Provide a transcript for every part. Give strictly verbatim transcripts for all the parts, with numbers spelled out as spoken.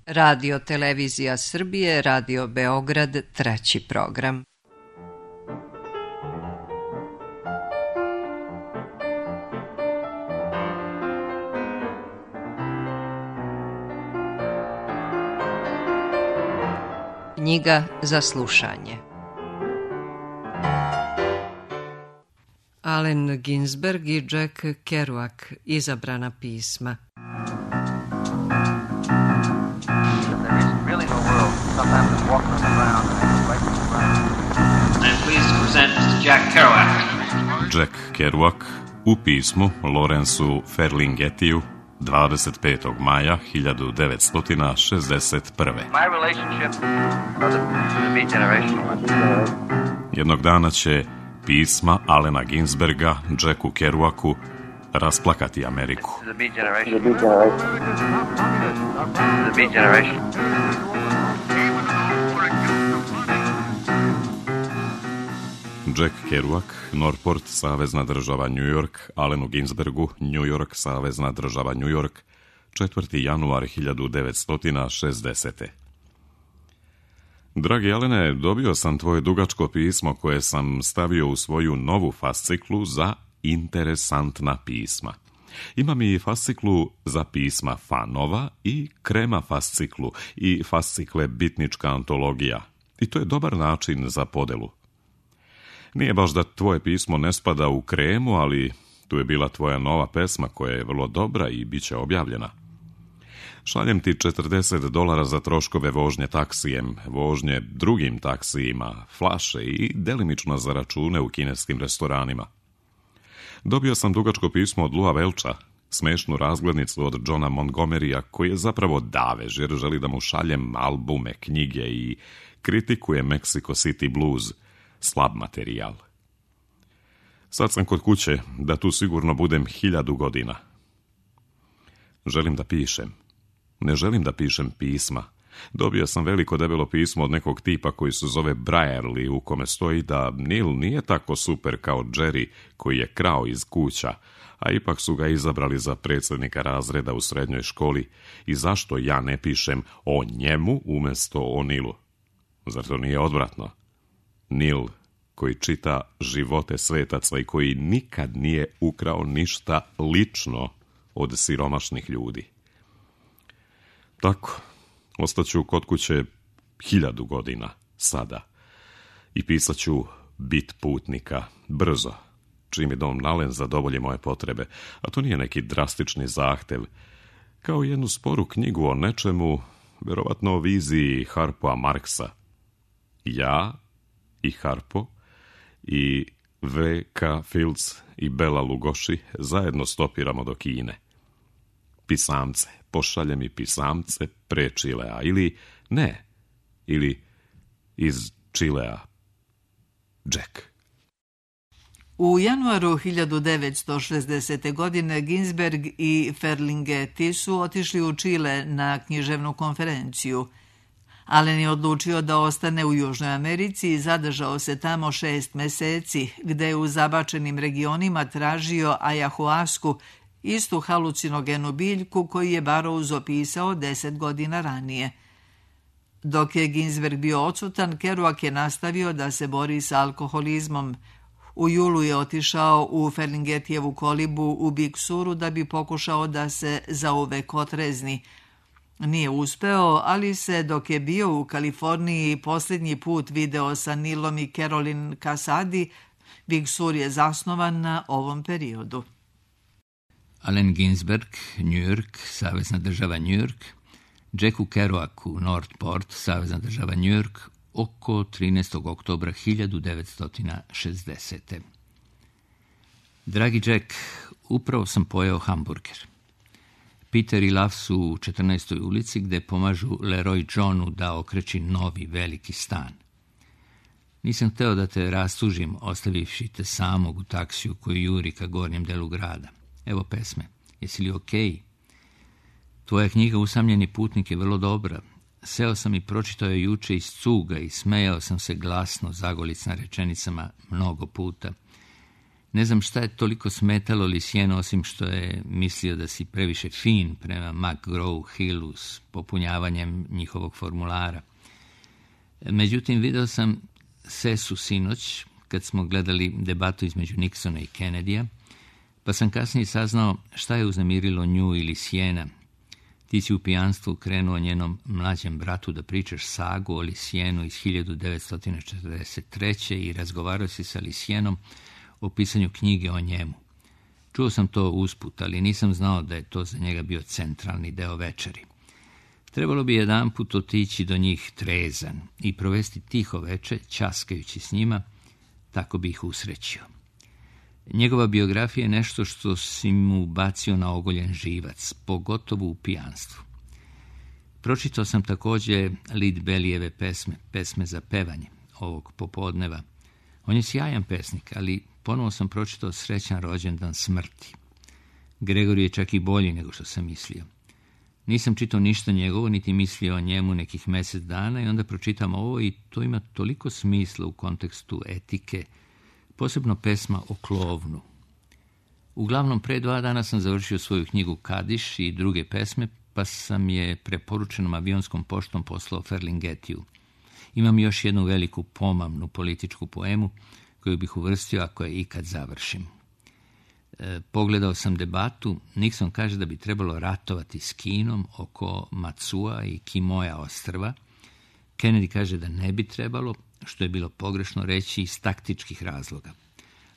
Radio Televizija Srbije, Radio Beograd, treći program. Knjiga za slušanje. Allen Ginsberg i Jack Kerouac, izabrana pisma. Jack Kerouac u pismu Lawrenceu Ferlinghettiju dvadeset petog maja hiljadu devetsto šezdeset prve. Jednog dana će pisma Allena Ginsberga Jacku Kerouacu rasplakati Ameriku. Jack Kerouac, Norport, savezna država New York, Allenu Ginsbergu, New York, savezna država New York, četvrti januar hiljadu devetsto šezdesete. Dragi Allene, dobio sam tvoje dugačko pismo koje sam stavio u svoju novu fasciklu za interesantna pisma. Imam i fasciklu za pisma fanova i krema fasciklu i fascikle bitnička antologija. I to je dobar način za podelu. Nije baš da tvoje pismo ne spada u kremu, ali tu je bila tvoja nova pesma koja je vrlo dobra i bit će objavljena. Šaljem ti četrdeset dolara za troškove vožnje taksijem, vožnje drugim taksijima, flaše i delimično za račune u kineskim restoranima. Dobio sam dugačko pismo od Lua Welcha, smešnu razglednicu od Johna Montgomerya, koji je zapravo davež jer želi da mu šaljem albume, knjige i kritikuje Mexico City Blues, slab materijal. Sad sam kod kuće, da tu sigurno budem hiljadu godina. Želim da pišem. Ne želim da pišem pisma. Dobio sam veliko debelo pismo od nekog tipa koji se zove Brierly, u kome stoji da Neil nije tako super kao Jerry, koji je krao iz kuća, a ipak su ga izabrali za predsjednika razreda u srednjoj školi i zašto ja ne pišem o njemu umjesto o Nilu? Zar to nije odvratno? Neil, koji čita živote svetaca i koji nikad nije ukrao ništa lično od siromašnih ljudi. Tako, ostaću kod kuće hiljadu godina, sada, i pisat ću bit putnika, brzo, čim je Dom Allen zadovolji moje potrebe, a to nije neki drastični zahtev, kao jednu sporu knjigu o nečemu, verovatno o viziji Harpoa Marksa. Ja i Harpo i V K Fields i Bela Lugoši zajedno stopiramo do Kine. Pisamce, pošalje mi pisamce pre Čilea, ili ne, ili iz Čilea. Jack. U januaru hiljadu devetsto šezdesete. godine Ginsberg i Ferlinghetti su otišli u Čile na književnu konferenciju. Allen je odlučio da ostane u Južnoj Americi i zadržao se tamo šest meseci, gde je u zabačenim regionima tražio ajahuasku, istu halucinogenu biljku koju je Burroughs opisao deset godina ranije. Dok je Ginsberg bio odsutan, Kerouac je nastavio da se bori sa alkoholizmom. U julu je otišao u Ferlinghettijevu kolibu u Big Suru da bi pokušao da se zauvek otrezni. Nije uspeo, ali se dok je bio u Kaliforniji posljednji put video sa Nilom i Caroline Casady, Big Sur je zasnovan na ovom periodu. Allen Ginsberg, New York, savezna država New York, Jacku Kerouacu, Norport, savezna država New York, oko trinaestog oktobra hiljadu devetsto šezdesete. Dragi Jack, upravo sam pojeo hamburger. Peter i Lav su u četrnaestoj ulici gde pomažu Leroy Johnu da okreći novi veliki stan. Nisam hteo da te rastužim, ostavivši te samog u taksiju koji juri ka gornjem delu grada. Evo pesme, jesi li okej? Okay? Tvoja knjiga Usamljeni putnik je vrlo dobra. Seo sam i pročitao je juče iz cuga i smejao sam se glasno zagolic na rečenicama mnogo puta. Ne znam šta je toliko smetalo Lucienu, osim što je mislio da si previše fin prema McGraw-Hillu s popunjavanjem njihovog formulara. Međutim, video sam Sesu sinoć, kad smo gledali debatu između Nixona i Kennedyja, pa sam kasnije saznao šta je uznemirilo nju ili Luciena. Ti si u pijanstvu krenuo njenom mlađem bratu da pričaš sagu o Lucienu iz hiljadu devetsto četrdeset treće i razgovarao si sa Lucienom o pisanju knjige o njemu. Čuo sam to usput, ali nisam znao da je to za njega bio centralni deo večeri. Trebalo bi jedanput otići do njih trezan i provesti tiho veče, ćaskajući s njima, tako bi ih usrećio. Njegova biografija je nešto što si mu bacio na ogoljen živac, pogotovo u pijanstvu. Pročitao sam također Lead Bellyjeve pesme, pesme za pevanje ovog popodneva. On je sjajan pesnik, ali ponovo sam pročitao Srećan rođendan smrti. Gregor je čak i bolji nego što sam mislio. Nisam čitao ništa njegovo, niti mislio o njemu nekih mjesec dana i onda pročitam ovo i to ima toliko smisla u kontekstu etike, posebno pesma o klovnu. Uglavnom, pre dva dana sam završio svoju knjigu Kadiš i druge pesme, pa sam je preporučenom avionskom poštom poslao Ferlingetiju. Imam još jednu veliku pomamnu političku poemu koju bih uvrstio ako je ikad završim. E, pogledao sam debatu. Nixon kaže da bi trebalo ratovati s Kinom oko Matsua i Kimoja ostrva. Kennedy kaže da ne bi trebalo, što je bilo pogrešno reći iz taktičkih razloga.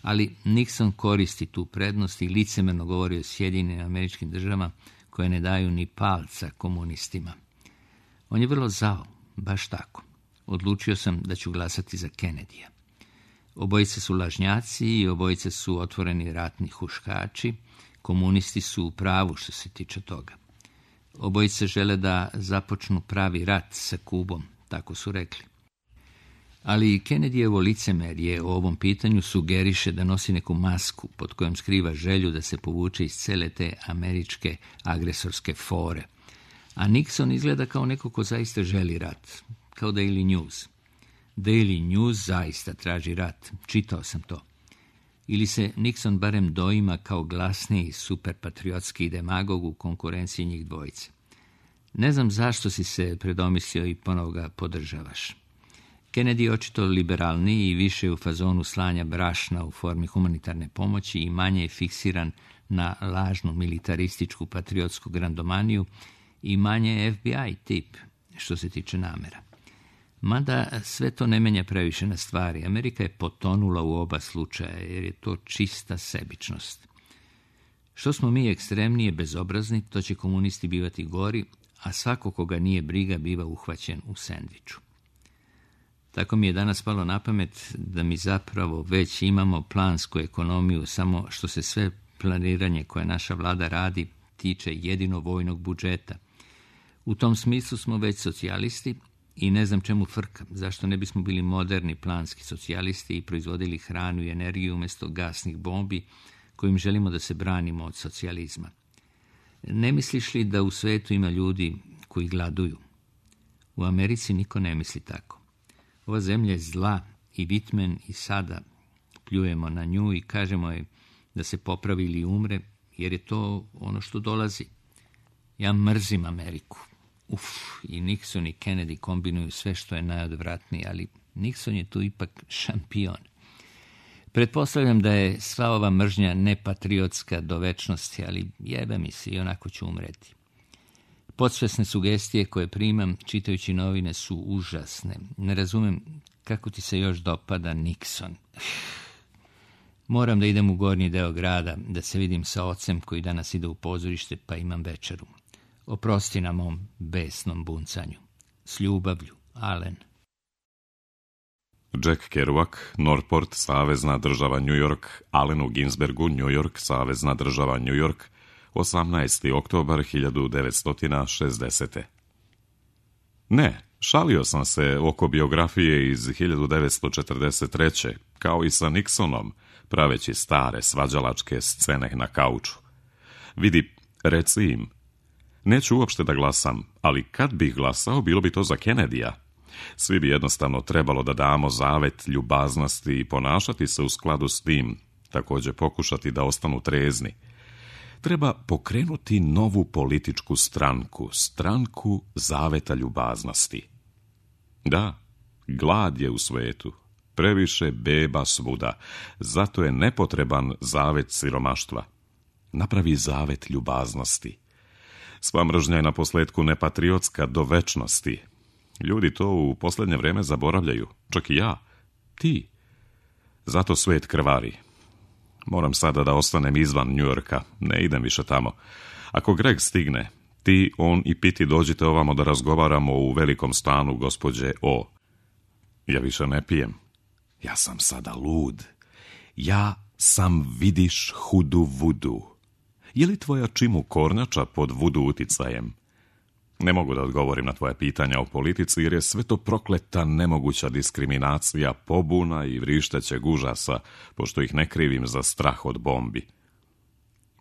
Ali Nixon koristi tu prednost i licemerno govori o Sjedinjenim Američkim Državama koje ne daju ni palca komunistima. On je vrlo zao, baš tako. Odlučio sam da ću glasati za Kennedyja. Obojice su lažnjaci i obojice su otvoreni ratni huškači. Komunisti su u pravu što se tiče toga. Obojice žele da započnu pravi rat sa Kubom, tako su rekli. Ali Kennedyjevo licemerje o ovom pitanju sugeriše da nosi neku masku pod kojom skriva želju da se povuče iz cele te američke agresorske fore. A Nixon izgleda kao neko ko zaista želi rat, kao Daily News. Daily News zaista traži rat, čitao sam to. Ili se Nixon barem doima kao glasniji superpatriotski demagog u konkurenciji njih dvojice. Ne znam zašto si se predomislio i ponovo ga podržavaš. Kennedy je očito liberalniji i više u fazonu slanja brašna u formi humanitarne pomoći i manje je fiksiran na lažnu militarističku patriotsku grandomaniju i manje je F B I tip što se tiče namera. Mada sve to ne menja previše na stvari. Amerika je potonula u oba slučaja jer je to čista sebičnost. Što smo mi ekstremnije bezobrazni, to će komunisti bivati gori, a svako koga nije briga biva uhvaćen u sendviču. Tako mi je danas palo na pamet da mi zapravo već imamo plansku ekonomiju, samo što se sve planiranje koje naša vlada radi tiče jedino vojnog budžeta. U tom smislu smo već socijalisti i ne znam čemu frka, zašto ne bismo bili moderni planski socijalisti i proizvodili hranu i energiju umjesto gasnih bombi kojim želimo da se branimo od socijalizma. Ne misliš li da u svetu ima ljudi koji gladuju? U Americi niko ne misli tako. Ova zemlja je zla i Whitman i sada pljujemo na nju i kažemo je da se popravi ili umre, jer je to ono što dolazi. Ja mrzim Ameriku. Uf, i Nixon i Kennedy kombinuju sve što je najodvratnije, ali Nixon je tu ipak šampion. Pretpostavljam da je sva ova mržnja nepatriotska do večnosti, ali jebe mi se i onako ću umreti. Podsvesne sugestije koje primam čitajući novine su užasne. Ne razumem kako ti se još dopada Nixon. Moram da idem u gornji deo grada, da se vidim sa ocem koji danas ide u pozorište, pa imam večeru. Oprosti na mom besnom buncanju. S ljubavlju, Allen. Jack Kerouac, Northport, savezna država New York, Allenu Ginsbergu, New York, savezna država New York, osamnaesti oktobar hiljadu devetsto šezdesete. Ne, šalio sam se oko biografije iz hiljadu devetsto četrdeset treće, kao i sa Nixonom, praveći stare svađalačke scene na kauču. Vidi, reci im, neću uopšte da glasam, ali kad bih glasao, bilo bi to za Kennedyja. Svi bi jednostavno trebalo da damo zavet ljubaznosti i ponašati se u skladu s tim, također pokušati da ostanu trezni. Treba pokrenuti novu političku stranku, stranku zaveta ljubaznosti. Da, glad je u svetu, previše beba svuda, zato je nepotreban zavet siromaštva. Napravi zavet ljubaznosti. Sva mržnja je na posljedku nepatriotska do večnosti. Ljudi to u posljednje vrijeme zaboravljaju, čak i ja, ti. Zato svijet krvari. Moram sada da ostanem izvan Njujorka, ne idem više tamo. Ako Greg stigne, ti, on i Piti dođite ovamo da razgovaramo u velikom stanu gospođe O. Ja više ne pijem. Ja sam sada lud. Ja sam, vidiš, hudu vudu. Je li tvoja čimu kornjača pod vudu uticajem? Ne mogu da odgovorim na tvoje pitanja o politici, jer je sve to prokleta nemoguća diskriminacija, pobuna i vrištećeg užasa, pošto ih ne krivim za strah od bombi.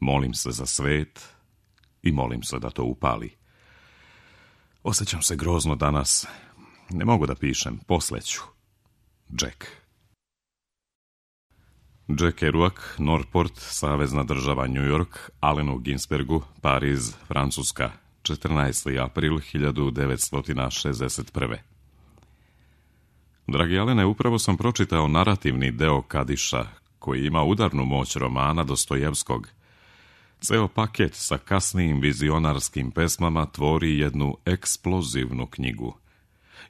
Molim se za svet i molim se da to upali. Osjećam se grozno danas. Ne mogu da pišem, posleću. Jack. Jack Kerouac, Northport, savezna država New York, Allenu Ginsbergu, Pariz, Francuska, četrnaesti april hiljadu devetsto šezdeset prve. Dragi Alene, upravo sam pročitao narativni deo Kadiša, koji ima udarnu moć romana Dostojevskog. Ceo paket sa kasnijim vizionarskim pesmama tvori jednu eksplozivnu knjigu.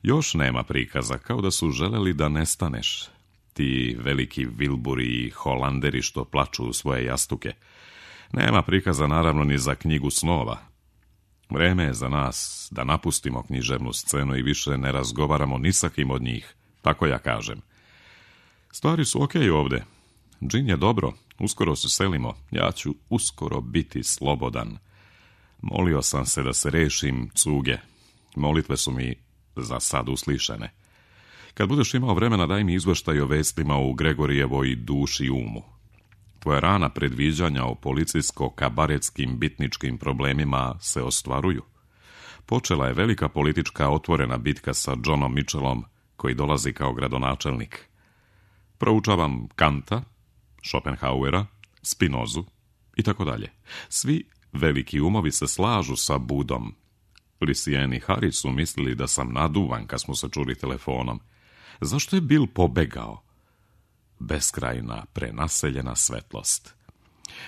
Još nema prikaza, kao da su želeli da nestaneš. Ti veliki Wilburi i Holanderi što plaču u svoje jastuke. Nema prikaza naravno ni za knjigu snova. Vreme je za nas da napustimo književnu scenu i više ne razgovaramo ni sa kim od njih, tako ja kažem. Stvari su okej ovde. Džin je dobro, uskoro se selimo, ja ću uskoro biti slobodan. Molio sam se da se rešim cuge. Molitve su mi za sad uslišene. Kad budeš imao vremena, daj mi izveštaj o vestima u Gregorijevoj duši i umu. Tvoja rana predviđanja o policijsko-kabaretskim bitničkim problemima se ostvaruju. Počela je velika politička otvorena bitka sa Johnom Mitchellom, koji dolazi kao gradonačelnik. Proučavam Kanta, Schopenhauera, Spinozu i tako dalje. Svi veliki umovi se slažu sa Budom. Lucien i Harry su mislili da sam naduvan kad smo se čuli telefonom. Zašto je Bill pobegao? Beskrajna, prenaseljena svetlost.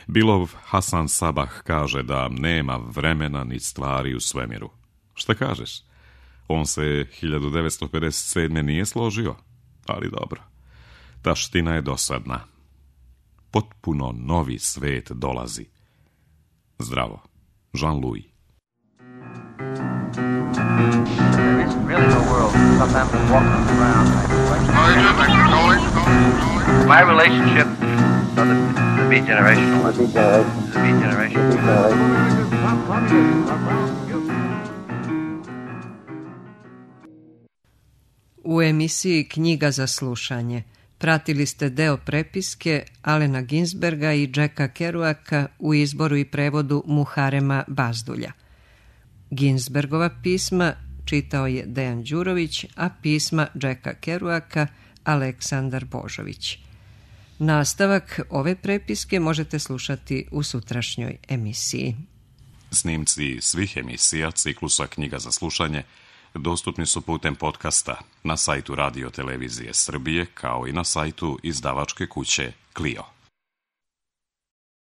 Billov Hasan Sabah kaže da nema vremena ni stvari u svemiru. Šta kažeš? On se hiljadu devetsto pedeset sedme nije složio, ali dobro. Taština je dosadna. Potpuno novi svet dolazi. Zdravo. Jean-Louis. There isn't really no world. Sometimes I'm walking around. My relationship, so the, the beat generation, the beat generation, the beat generation. U emisiji Knjiga za slušanje pratili ste deo prepiske Allena Ginsberga i Jacka Kerouaca u izboru i prevodu Muharema Bazdulja. Ginsbergova pisma čitao je Dejan Đurović, a pisma Jacka Kerouaca Aleksandar Božović. Nastavak ove prepiske možete slušati u sutrašnjoj emisiji. Snimci svih emisija ciklusa Knjiga za slušanje dostupni su putem podcasta na sajtu Radio Televizije Srbije, kao i na sajtu izdavačke kuće Clio.